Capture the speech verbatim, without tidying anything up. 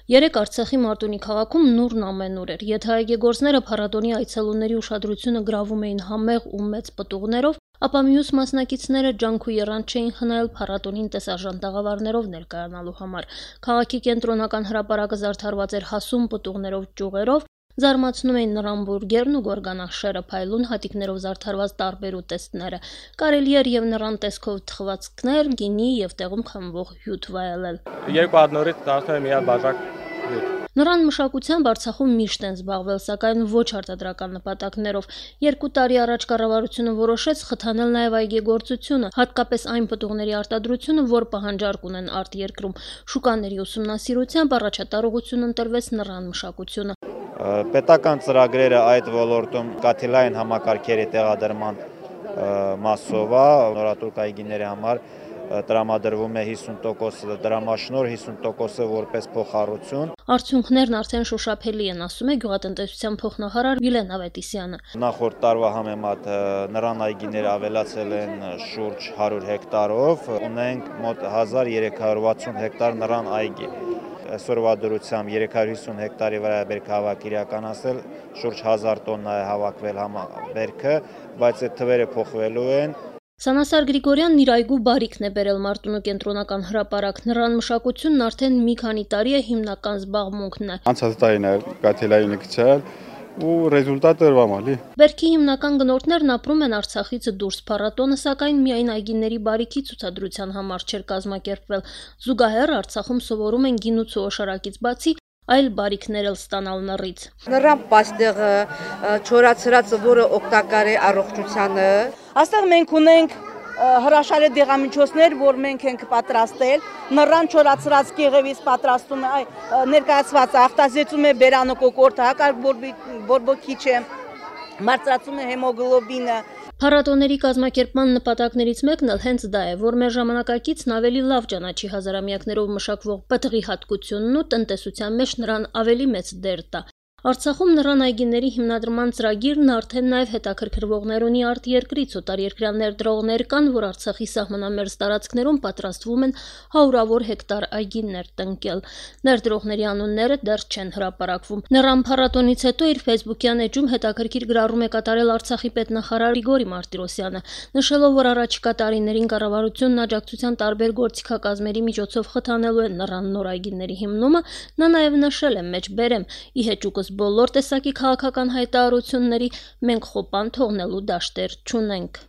Երեկ Արցախի Մարտունի քաղաքում նուրն ամենուր էր։ Եթե այգեգործները փառատոնի այցելուների ուշադրությունը գրավում էին համեղ ու մեծ պտուղներով, ապա մյուս մասնակիցները ջանք ու եռանդ չէին խնայել փառատոնին տեսարժան տաղավարներով ներկայանալու համար։ Քաղաքի կենտրոնական հրապարակը զարդարված էր հասուն պտուղներով ճյուղերով, զարմացնում էին նրան բուրգերն ու գորգանախշերը, փայլուն հատիկներով զարդարված տարբեր ուտեստները։ Կարելի էր եւ նրան տեսքով թխվածքներ, գինի եւ տեղում խմվող հյութ վայելել։ Երկու հատ նորից դարձել մի հատ բաժակ հյութ։ Նրան մշակությամբ Արցախում միշտ են զբաղվել, սակայն ոչ արտադրական նպատակներով։ Երկու տարի առաջ կառավարությունը որոշեց խթանել նաև այգեգործությունը, հատկապես այն պտուղների արտադրությունը, որ պահանջարկ ունեն արտերկրում։ Շուկաների ուսումնասիրությամբ առաջատար ուղղություն ընտրվեց նրան մշակությունը։ Պետական ծրագրերը այդ ոլորտում կաթիլային համակարգերի տեղադրման մասով է, նորատուր այգիների համար տրամադրվում է հիսուն տոկոս դրամաշնոր, հիսուն տոկոսը որպես փոխառություն։ Արդյունքներն արդեն շոշափելի են, ասում է գյուղատնտեսության փոխնախարար Վիլեն Ավետիսյանը։ Նախորդ տարվա համեմատ նռան այգիները ավելացել են շուրջ հարյուր հեկտարով, ունենք մոտ հազար երեք հարյուր վաթսուն հեկտար նռան այգի։ Այսօրվա դրությամբ երեք հարյուր հիսուն հեկտարի վրա բերքահավաք իրականացել, շուրջ հազար տոննա է հավաքվել բերքը, բայց այդ թվերը փոխվելու են։ Սանասար Գրիգորյանն իր այգու բարիքն է բերել Մարտունու կենտրոնական հրապարակ։ Նռան մշակությունն արդեն մի քանի տարի է հիմնական զբաղմունքն է։ Անցած տարին է կաթիլային գցել ու ռեզուլտատը ըրվամալի։ Բերքի հիմնական գնորդներն ապրում են Արցախից դուրս, փառատոնը սակայն միայն այգիների բարիքի ցուցադրության համար չէր կազմակերպվել։ Զուգահեռ Արցախում սովորում են գինուց ու օշարակից բացի այլ բարիքներ էլ ստանալ նռից։ Նռան պաստեղը, չորացրածը, որը օգտակար է առողջությանը։ Այստեղ մենք ունենք հրաշալի դեղամիջոցներ, որ մենք ենք պատրաստել, նռան չորացրած կեղևից պատրաստում է, ներկայացված ախտազեցում է բերանը կոկորտը, հակարգ բորբոքիչ է, բարձրացում է հեմոգլոբինը։ Փառատոների կազմակերպման նպատակներից մեկն էլ հենց դա է, որ մեր ժամանակակիցն ավելի լավ ճանաչի հազարամյակներով մշակվող պտղի հատկությունն ու տնտեսության մեջ նրան ավելի մեծ դեր տա։ Արցախում նռան այգիների հիմնադրման ծրագիրն արդեն նաև հետաքրքրվողներ ունի արտերկրից, օտարերկրյա ներդրողներ կան, որ Արցախի սահմանամերձ տարածքներում պատրաստվում են հարյուրավոր հեկտար այգիներ տնկել։ Ներդրողների անունները դեռ չեն հրապարակվում։ Նռան փառատոնից հետո իր ֆեյսբուքյան էջում հետաքրքիր գրառում է կատարել Արցախի պետնախարար Գրիգորի Մարտիրոսյանը, նշելով, որ առաջիկա տարիներին կառավարությունն աջակցության տարբեր գործիքակազմերի միջոցով խթանելու է նռան նոր այգիների հիմնումը, նա նաև նշել է մեջբերեմ՝ ի հեճուկս բոլոր տեսակի քաղաքական հայտարարությունների մենք խոպան թողնելու դաշտեր չունենք։